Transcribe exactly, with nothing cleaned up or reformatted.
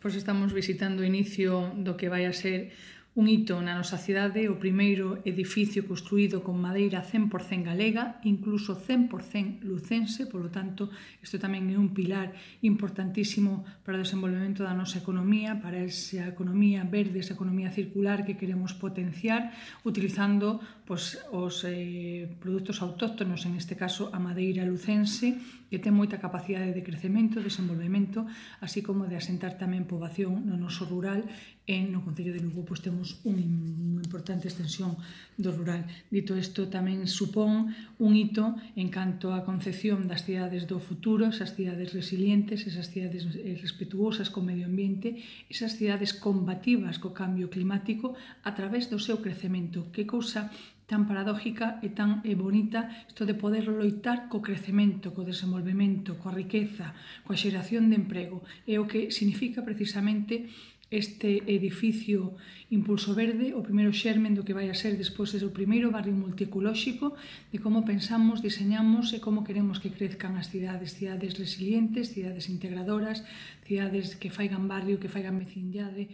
Pois estamos visitando o inicio do que vai a ser un hito na nosa cidade, o primeiro edificio construído con madeira cen por cen galega, incluso cen por cen lucense, polo tanto, isto tamén é un pilar importantísimo para o desenvolvemento da nosa economía, para esa economía verde, esa economía circular que queremos potenciar, utilizando pois, os eh, produtos autóctonos, en este caso a madeira lucense, que ten moita capacidade de crecemento, desenvolvemento, así como de asentar tamén poboación no noso rural, e no Concello de Lugo pois, temos unha importante extensión do rural. Dito isto, tamén supón un hito en canto á concepción das cidades do futuro, esas cidades resilientes, esas cidades respetuosas co medio ambiente, esas cidades combativas co cambio climático a través do seu crecemento. Que cousa tan paradójica e tan bonita isto de poder loitar co crecemento, co desenvolvemento, coa riqueza, coa xeración de emprego. É o que significa precisamente este edificio Impulso Verde, o primeiro xermen do que vai a ser despois o primeiro barrio multiecolóxico, de como pensamos, diseñamos e como queremos que crezcan as cidades, cidades resilientes, cidades integradoras, cidades que faigan barrio, que faigan vecindade,